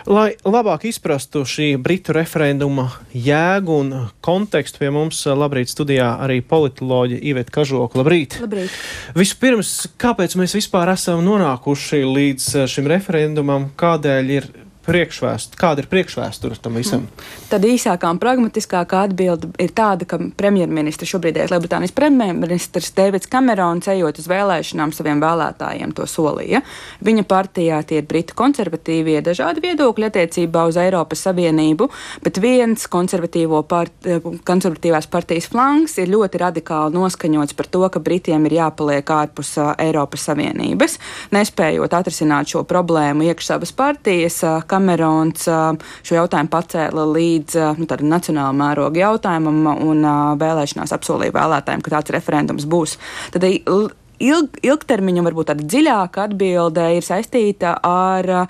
Lai labāk izprastu šī Britu referenduma jēgu un kontekstu, pie mums labrīt studijā arī politoloģe Iveta Kažoka. Labrīt! Labrīt! Vispirms, kāpēc mēs vispār esam nonākuši līdz šim referendumam, kāda ir priekšvēsture tam visam? Tad īsākā un pragmatiskākā atbilde ir tāda, ka premjerministrs, šobrīdējais Lielbritānijas premjerministrs Deivids Kamerons, ejot uz vēlēšanām saviem vēlētājiem to solīja. Viņa partijā tie ir Britu konservatīvie dažādi viedokļi attiecībā uz Eiropas Savienību, bet viens konservatīvās partijas flanks ir ļoti radikāli noskaņots par to, ka Britiem ir jāpaliek ārpus Eiropas Savienības. Nespējot atrisināt šo problēmu iekš savas partijas, Kamerons šo jautājumu pacēla līdz tādu nacionālu mērogu jautājumam un vēlēšanās apsolīja vēlētājiem, ka tāds referendums būs. Tad ilgtermiņa, varbūt tāda dziļāka atbilde ir saistīta ar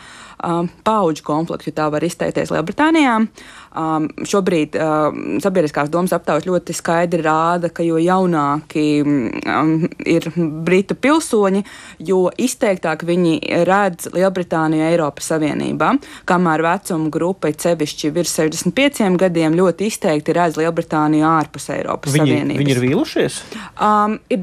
paudžu konfliktu, tā var izteikties Lielbritānijā. Šobrīd sabiedriskās domas aptaujas ļoti skaidri rāda, ka jo jaunāki ir Britu pilsoņi, jo izteiktāk viņi redz Lielbritāniju Eiropas Savienībā, kamēr vecuma grupa ir sevišķi virs 65 gadiem ļoti izteikti redz Lielbritāniju ārpus Eiropas Savienības. Viņi ir vīlušies? Ir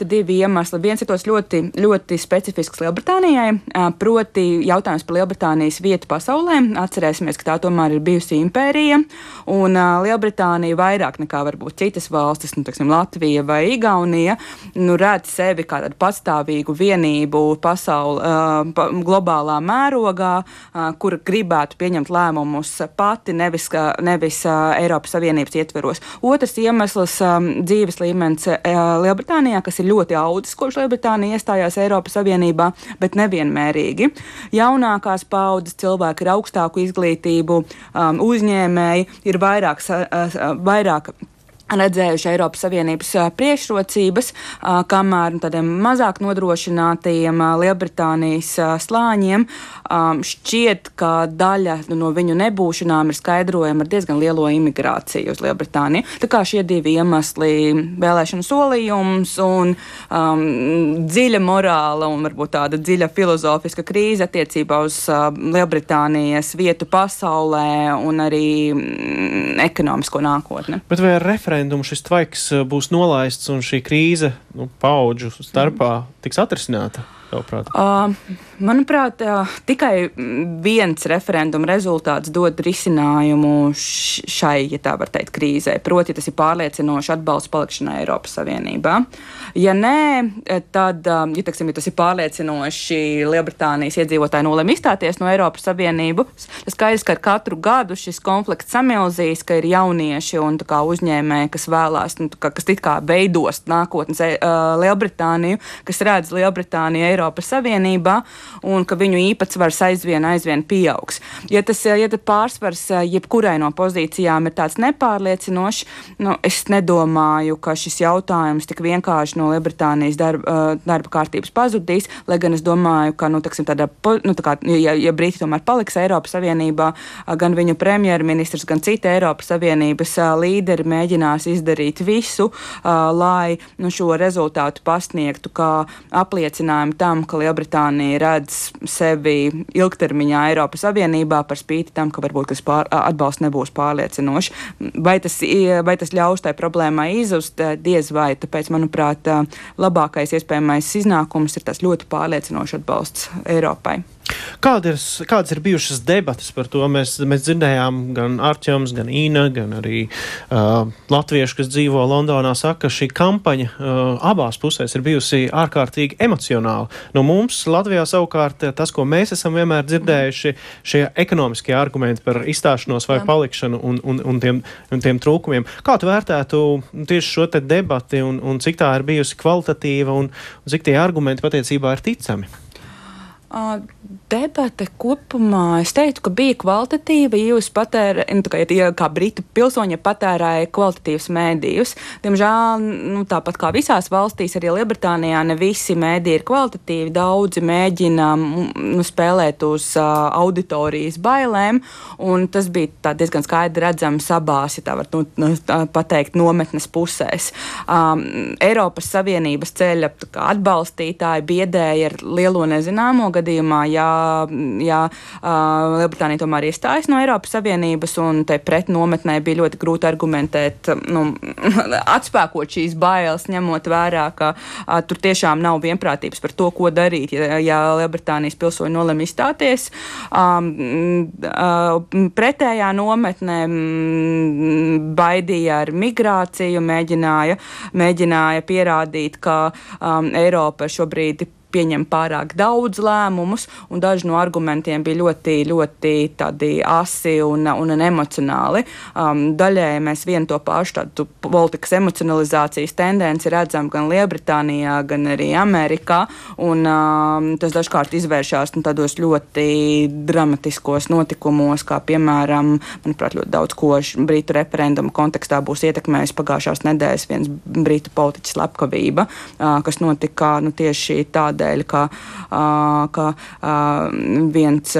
divi iemesli. Viens ir tos ļoti, ļoti specifisks Lielbritānijai, proti jautājums par Lielbritānijas vietu pasaulē. Atcerēsimies, ka tā tomēr ir bijusi impērija, un Lielbritānija vairāk nekā varbūt citas valstis, Latvija vai Igaunija, redz sevi kā tādu patstāvīgu vienību globālā mērogā, kur gribētu pieņemt lēmumus pati, nevis Eiropas Savienības ietveros. Otrs iemesls dzīves līmenis Lielbritānijā, kas ir ļoti audzis, kopš Lielbritānija iestājās Eiropas Savienībā, bet nevienmērīgi. Jaunākās paudzes cilvēki ar augstāku izglītību, uzņēmēji ir vairāk redzējuši Eiropas Savienības priekšrocības, kamēr tādiem mazāk nodrošinātajiem Lielbritānijas slāņiem šķiet, ka daļa no viņu nebūšanām ir skaidrojama ar diezgan lielo imigrāciju uz Lielbritāniju. Tā kā šie divi iemesli - vēlēšanu solījums un dziļa morāla un varbūt tāda dziļa filozofiska krīze attiecībā uz Lielbritānijas vietu pasaulē un arī ekonomisko nākotni. Bet vai šis tvaiks būs nolaists un šī krīze paudžu starpā tiks atrisināta? Manuprāt, tikai viens referenduma rezultāts dod risinājumu šai, ja tā var teikt, krīzē. Proti, tas ir pārliecinoši atbalsts palikšanai Eiropas Savienībā. Ja nē, tad, ja tas ir pārliecinoši Lielbritānijas iedzīvotāji nolem izstāties no Eiropas Savienības, tas skaidrs, ka ar katru gadu šis konflikts samilzīs, ka ir jaunieši un uzņēmēji, kas vēlās, kas it kā veidos nākotnes Lielbritāniju, kas redz Lielbritāniju Eiropas Savienībā, un ka viņu īpatsvars aizvien pieaugs. Ja tas pārsvars jebkurai no pozīcijām ir tāds nepārliecinošs, es nedomāju, ka šis jautājums tik vienkārši no Lielbritānijas darba kārtības pazudīs, lai gan es domāju, ka, ja Briti tomēr paliks Eiropas Savienībā, gan viņu premjerministrs, gan citi Eiropas Savienības līderi mēģinās izdarīt visu, lai šo rezultātu pasniegtu kā apliecinājumu tam, ka Lielbritānija redz sevi ilgtermiņā Eiropas Savienībā par spīti tam, ka varbūt atbalsts nebūs pārliecinoši. Vai tas ļaus tai problēmai izust? Diez vai. Tāpēc, manuprāt, labākais iespējamais iznākums ir tas ļoti pārliecinošs atbalsts Eiropai. Kādas ir bijušas debatas par to? Mēs dzirdējām gan Arķems, gan Ina, gan arī latvieši, kas dzīvo Londonā, saka, ka šī kampaņa abās pusēs ir bijusi ārkārtīgi emocionāla. No mums Latvijā savukārt tas, ko mēs esam vienmēr dzirdējuši, šie ekonomiskie argumenti par izstāšanos vai palikšanu un tiem trūkumiem. Kā tu vērtētu tieši šo te debati un cik tā ir bijusi kvalitatīva un cik tie argumenti patiecībā ir ticami? Debate kopumā, es teiktu, ka bija kvalitatīva, ja kā britu pilsoņi patērēja kvalitatīvas mēdījus. Diemžēl, tāpat kā visās valstīs, arī Lielbritānijā ne visi mēdīji ir kvalitatīvi, daudzi mēģina spēlēt uz auditorijas bailēm, un tas bija diezgan skaidri redzams abās, ja tā var pateikt, nometnes pusēs. Eiropas Savienības ceļa atbalstītāji biedēja ar lielo nezināmo gadījumā, ja Lielbritānija tomēr iestājas no Eiropas Savienības, un te pret nometnē bija ļoti grūti argumentēt, atspēkot šīs bailes, ņemot vērā, ka tur tiešām nav vienprātības par to, ko darīt, ja Lielbritānijas pilsoņi nolem izstāties. Pretējā nometnē baidīja ar migrāciju, mēģināja pierādīt, ka Eiropa šobrīd pieņem pārāk daudz lēmumus, un daži no argumentiem bija ļoti, ļoti tādi asi un emocionāli. Daļēji mēs vienu to pašu tādu politikas emocionalizācijas tendenci redzam gan Lielbritānijā, gan arī Amerikā, un tas dažkārt izvēršās tādos ļoti dramatiskos notikumos, kā piemēram, manuprāt, ļoti daudz ko Britu referenduma kontekstā būs ietekmējis pagājušās nedēļas viens Britu politiķis slepkavība, kas notika tieši tādēļ, ka viens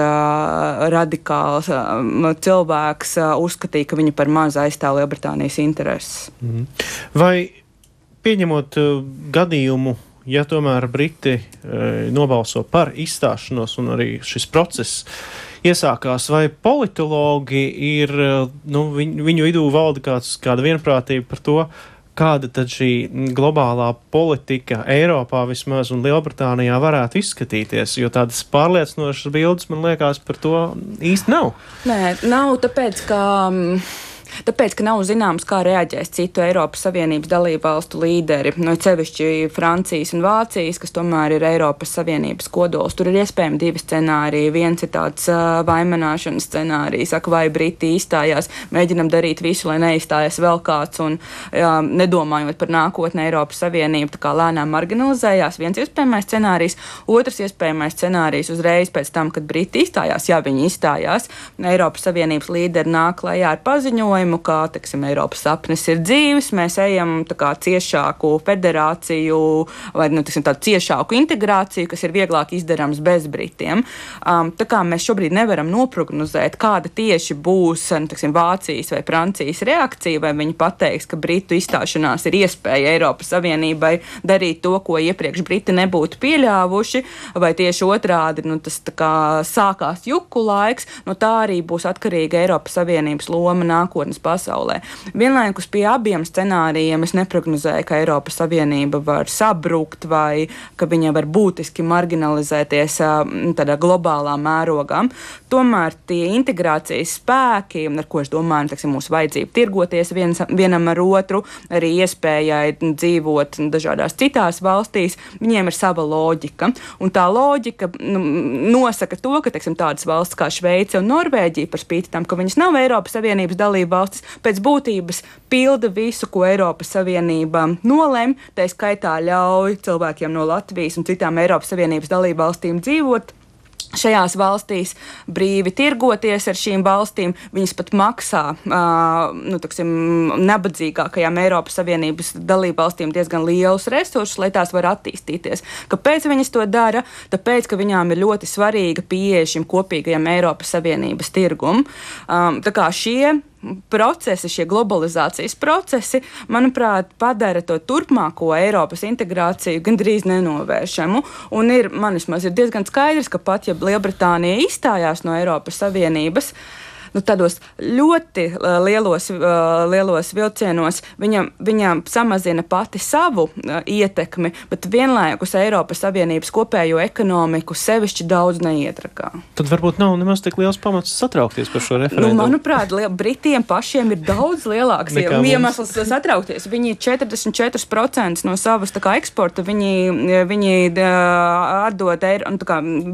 radikāls cilvēks uzskatīja, ka viņi par maz aizstāv Lielbritānijas intereses. Vai pieņemot gadījumu, ja tomēr Briti nobalso par izstāšanos un arī šis process iesākās, vai politologi ir, viņu vidū valda kāda vienprātība par to, kāda tad šī globālā politika Eiropā vismaz un Lielbritānijā varētu izskatīties, jo tādas pārliecinošas bildes, man liekas, par to īsti nav. Nē, nav, tāpēc, ka nav zināms, kā reaģēs citu Eiropas Savienības dalību valstu līderi, sevišķi Francijas un Vācijas, kas tomēr ir Eiropas Savienības kodols. Tur ir iespējami divi scenāriji. Viens ir tāds vaimanāšanas scenārijs, saka, vai Briti izstājās, mēģinam darīt visu, lai neizstājas vēl kāds, un nedomājot par nākotni Eiropas Savienību, tā kā lēnām marginalizējās. Viens iespējamais scenārijs. Otrs iespējamais scenārijs uzreiz pēc tam, kad Briti izstājās, ja viņi izstājās, Eiropas Savienības līderi nāk klajā ar paziņojumu, ka, Eiropas sapnis ir dzīves, mēs ejam ciešāku federāciju vai, tādu ciešāku integrāciju, kas ir vieglāk izdarams bez Britiem. Tā kā mēs šobrīd nevaram noprognozēt, kāda tieši būs, Vācijas vai Francijas reakcija, vai viņi pateiks, ka Britu izstāšanās ir iespēja Eiropas Savienībai darīt to, ko iepriekš Briti nebūtu pieļāvuši, vai tieši otrādi, tas sākās juku laiks, tā arī būs atkarīga Eiropas Savienības loma nākotnes pasaulē. Vienlaikus pie abiem scenārijiem es neprognozēju, ka Eiropas Savienība var sabrukt vai ka viņa var būtiski marginalizēties tādā globālā mērogā. Tomēr tie integrācijas spēki, ar ko es domāju, mūsu vajadzība tirgoties vienam ar otru, arī iespējai dzīvot dažādās citās valstīs, viņiem ir sava loģika. Un tā loģika nosaka to, ka tādas valsts kā Šveice un Norvēģija, par spīti tam, ka viņas nav Eiropas Savienības dalība valstis, pēc būtības pilda visu, ko Eiropas Savienība nolem, tā skaitā ļauj cilvēkiem no Latvijas un citām Eiropas Savienības dalību valstīm dzīvot šajās valstīs, brīvi tirgoties ar šīm valstīm, viņas pat maksā nabadzīgākajām Eiropas Savienības dalību valstīm diezgan lielus resursus, lai tās var attīstīties. Kāpēc viņas to dara? Tāpēc, ka viņām ir ļoti svarīga pieeja šim kopīgajam Eiropas Savienības tirgum. Tā kā šie procesi, šie globalizācijas procesi, manuprāt, padara to turpmāko Eiropas integrāciju gandrīz nenovēršamu. Un man vismaz ir diezgan skaidrs, ka pat ja Lielbritānija izstājās no Eiropas Savienības, tādos ļoti lielos vilcienos viņam samazina pati savu ietekmi, bet vienlaikus Eiropas Savienības kopējo ekonomiku sevišķi daudz neietrakā. Tad varbūt nav nemaz tik liels pamats satraukties par šo referendumu. Manuprāt, Britiem pašiem ir daudz lielāks iemesls satraukties. Viņi 44% no savas eksporta viņi atdod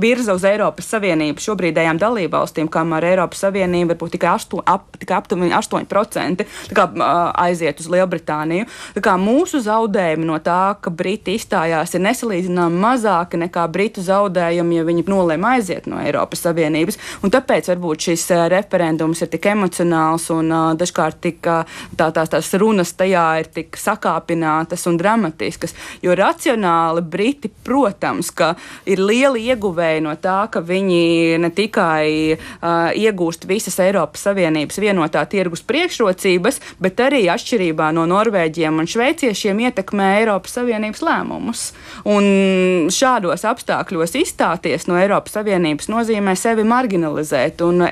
virza uz Eiropas Savienību šobrīdējām dalībvalstīm, kamēr Eiropas Savienība varbūt tikai aptuveni 8% aiziet uz Lielbritāniju. Mūsu zaudējumi no tā, ka Briti izstājās, ir nesalīdzinām mazāki nekā Britu zaudējumi, ja viņi nolēma aiziet no Eiropas Savienības. Un tāpēc varbūt šis referendums ir tik emocionāls un dažkārt tās runas tajā ir tik sakāpinātas un dramatiskas, jo racionāli Briti, protams, ka ir lieli ieguvēji no tā, ka viņi ne tikai iegūst visas visas Eiropas Savienības vienotā tirgus priekšrocības, bet arī atšķirībā no norvēģiem un šveiciešiem ietekmē Eiropas Savienības lēmumus. Un šādos apstākļos izstāties no Eiropas Savienības nozīmē sevi marginalizēt, un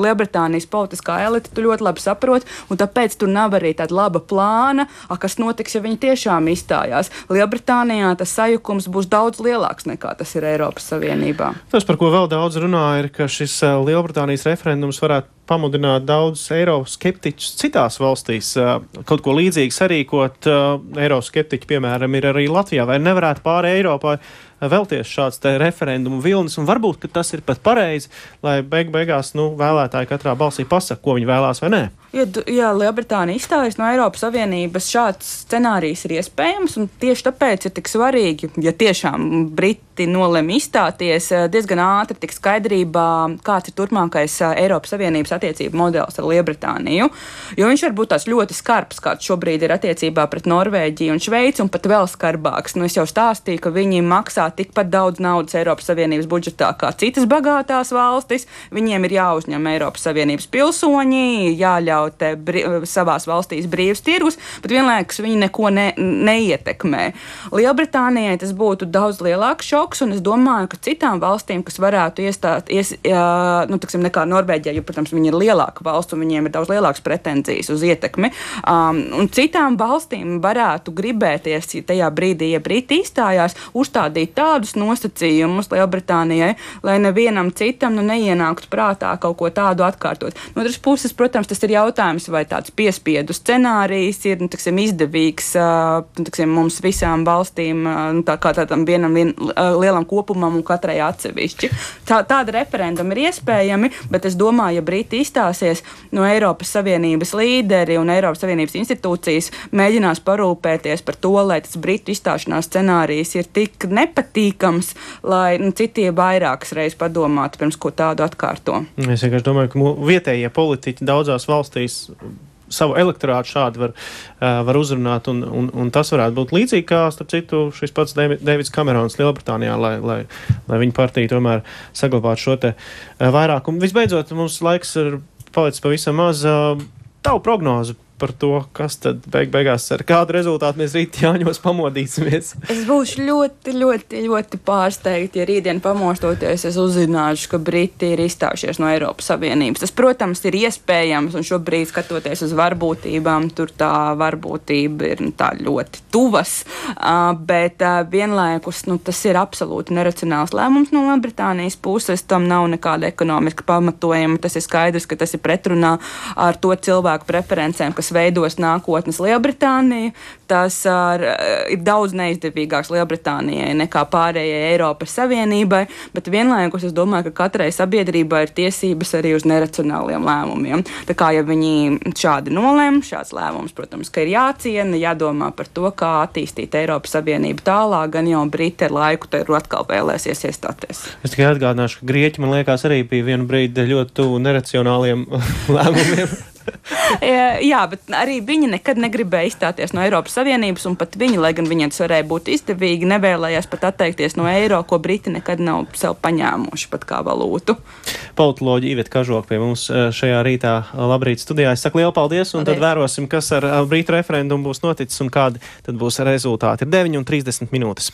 Lielbritānijas politiskā elite tu ļoti labi saprot, un tāpēc tur nav arī tāda laba plāna, kas notiks, ja viņi tiešām izstājās. Lielbritānijā tas sajukums būs daudz lielāks nekā tas ir Eiropas Savienībā. Tas, par ko vēl daudz runā, ir, ka šis Lielbritānijas referendums varētu pamudināt daudzus eiroskeptiķus citās valstīs. Kaut ko līdzīgu sarīkot eiroskeptiķi, piemēram, ir arī Latvijā. Vai nevarētu pāri Eiropā vēlties šāds te referendumu vilnis, un varbūt, ka tas ir pat pareizi, lai beigās vēlētāji katrā balsī pasaka, ko viņi vēlās vai nē. Ja Lielbritānija izstājas no Eiropas Savienības, šāds scenārijs ir iespējams, un tieši tāpēc ir tik svarīgi, ja tiešām Briti nolem izstāties, diezgan ātri tik skaidrībā, kāds ir turpmākais Eiropas Savienības attiecību modelis ar Lielbritāniju, jo viņš var būt tāds ļoti skarbs, kāds šobrīd ir attiecībā pret Norvēģiju un Šveici, un pat vēl skarbāks. Es jau stāstīju, ka viņi maksā tikpat daudz naudas Eiropas Savienības budžetā kā citas bagātās valstis, viņiem ir jāuzņem Eiropas Savienības pilsoņi, jāļauj savās valstīs brīvs tirgus, bet vienlaikus viņi neko neietekmē. Lielbritānijai tas būtu daudz lielāks šoks, un es domāju, ka citām valstīm, kas varētu nekā Norvēģija, jo, protams, viņi ir lielāka valsts, un viņiem ir daudz lielākas pretenzijas uz ietekmi, un citām valstīm varētu gribēties, ja tajā brīdī, ja Briti izstājās, uzstādīt tādus nosacījumus Lielbritānijai, lai nevienam citam neienāktu prātā kaut ko tādu atkārtot. No otras puses, protams, tas ir jautājums, vai tāds piespiedu scenārijs ir izdevīgs mums visām valstīm, tā kā tādam vienam lielam kopumam un katrai atsevišķi. Tāda referenduma ir iespējami, bet es domāju, ja Briti izstāsies no Eiropas Savienības līderi un Eiropas Savienības institūcijas mēģinās parūpēties par to, lai tas Britu izstāšanās scenārijs ir tik nepatīkams, lai citi vairākas reizes padomātu, pirms ko tādu atkārto. Es vienkārši domāju, ka vietējie politiķi daudzās valstīs savu elektorātu šādi var uzrunāt, un tas varētu būt līdzīgi kā, starp citu, šis pats Deivids Kamerons Lielbritānijā, lai viņa partija tomēr saglabātu šo te vairākumu. Visbeidzot, mums laiks ir palicis pavisam maz. Tavu prognozi par to, kas tad beigās ar kādu rezultātu mēs rīt Jāņos pamodīsimies. Es būšu ļoti, ļoti, ļoti pārsteigta, ja rītdien pamostoties es uzzināšu, ka Briti ir izstājušies no Eiropas Savienības. Tas, protams, ir iespējams, un šobrīd skatoties uz varbūtībām, tur tā varbūtība ir tā ļoti tuvas, bet vienlaikus tas ir absolūti neracionāls lēmums no Lielbritānijas puses, tam nav nekāda ekonomiska pamatojuma, tas ir skaidrs, ka tas ir pretrunā ar to cilvēku preferencēm, kas veidos nākotnes Lielbritāniju. Tas ir daudz neizdevīgāks Lielbritānijai nekā pārējai Eiropas Savienībai, bet vienlaikus es domāju, ka katrai sabiedrībai ir tiesības arī uz neracionāliem lēmumiem. Tā kā, ja viņi šādi nolem, šāds lēmums, protams, ka ir jāciena, jādomā par to, kā attīstīt Eiropas Savienību tālāk, gan jau Briti ar laiku te atkal vēlēsies iestāties. Es tikai atgādināšu, ka Grieķi, man liekas, arī bija vienu brīdi ļoti tuvu neracionāliem lēmumiem. Jā, bet arī viņi nekad negribēja izstāties no Eiropas Savienības, un pat viņi, lai gan viņiem tas varēja būt izdevīgi, nevēlējās pat atteikties no eiro, ko Briti nekad nav sev paņēmuši pat kā valūtu. Politoloģi Iveta Kažoka pie mums šajā rītā. Labrīt studijā. Es saku lielu paldies, un tad vērosim, kas ar Britu referendumu būs noticis un kādi tad būs rezultāti. Ir 9:30 minūtes.